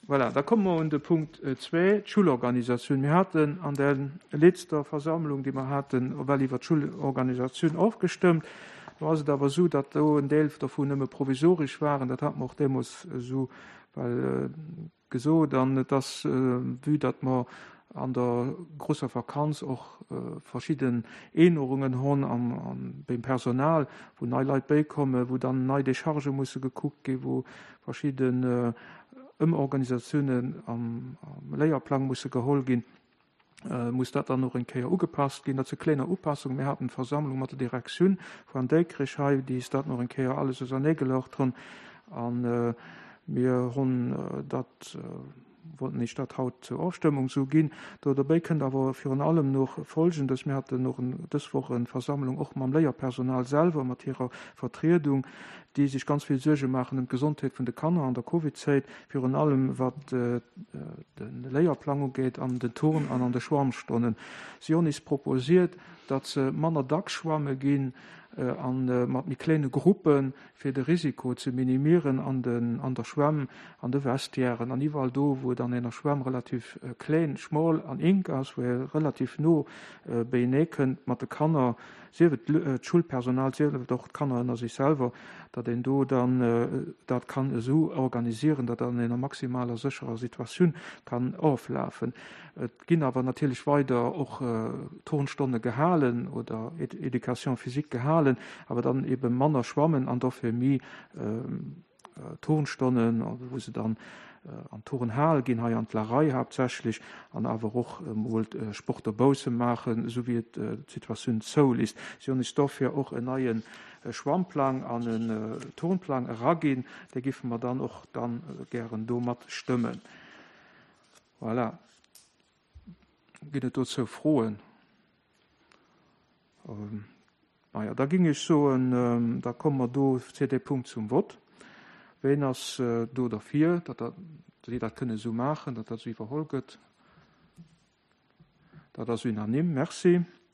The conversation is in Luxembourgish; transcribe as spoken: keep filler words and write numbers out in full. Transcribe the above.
Voilà, da komme mer un de Punkt zwee, d'Schulorganisatioun. Mir haten an der letzter Versammlung, déi mer haten, well iwwer d'Schulorganisatioun ofgestëmmt. Do ass et awer esou, datt do en Deel dovun nëmme provisoresch waren. Dat hate mer och deemools esou well gesot. An et ass, vue datt mer an der grousser Vakanz och verschidden Ännerungen hunn am beim Personal, wou nei Leit bäikommen, wou dann nei Déchargë musse gekuckt ginn, wou verschidden Ëmorganisatiounen am Léierplang musse geholl ginn, muss dat dann och eng Kéier ugepasst ginn. Dat si kleiner Upassungen. Mir haten d'Versammlung mat der Direktioun vun Déikrech hei, déi is dat nach eng Kéier alles auserneegelaucht hunn. A mir hunn dat, wollten ech dat haut zur Ofstëmmung sou ginn. Do dobäi kënnt awer virun allem nach Folgendes: Mir haten och dës Woch eng Versammlung och mam Léierpersonal selwer, mat hirer Vertriedung, déi sech ganz vill Suerge maachen ëm d'Gesondheet vun de Kanner an der Covid-Zäit, virun allem wat de Léierplang ugeet an den Turn an an de Schwammstonnen. Si hunn is proposiert, datt se manner dacks schwamme ginn a mat méi kléine Gruppen, fir de Risiko ze minimieren an den an der Schwämm, an de Vestiairen an iwwerall do, wou et an enger Schwämm relativ kléin, schmol an enk ass, wou ee relativ no beienee kënnt mat de Kanner, sief et d'Schoulpersonal, sief et och d'Kanner ënner sech selwer, datt een do dann dat kann esou organisieren, datt dat an enger maximaler sécherer Situatioun kann oflafen. Et ginn awer natierlech weider och Turnstonne gehalen oder Éducation physique gehalen, awer dann ebe manner schwammen an dofir méi Turnstonnen, wou se dann an d'Turnhal ginn, hei an d'Larei haaptsächlech, an awer och emol Sport dobausse maachen, esou wéi et d'Situatioun zouléisst. Si hunn eis dofir och en neie Schwammplang an en Turnplang eraginn, dee géife mer dann och dann gären do mat stëmmen. Voilà. Ginn et dozou Froen? Maja, da géing ech soen, da komme mer do zu deem Punkt zum Vott. Ween ass do derfir, datt si dat kënne esou maachen, datt dat esou iwwerholl gëtt? Dat ass unanime. Merci.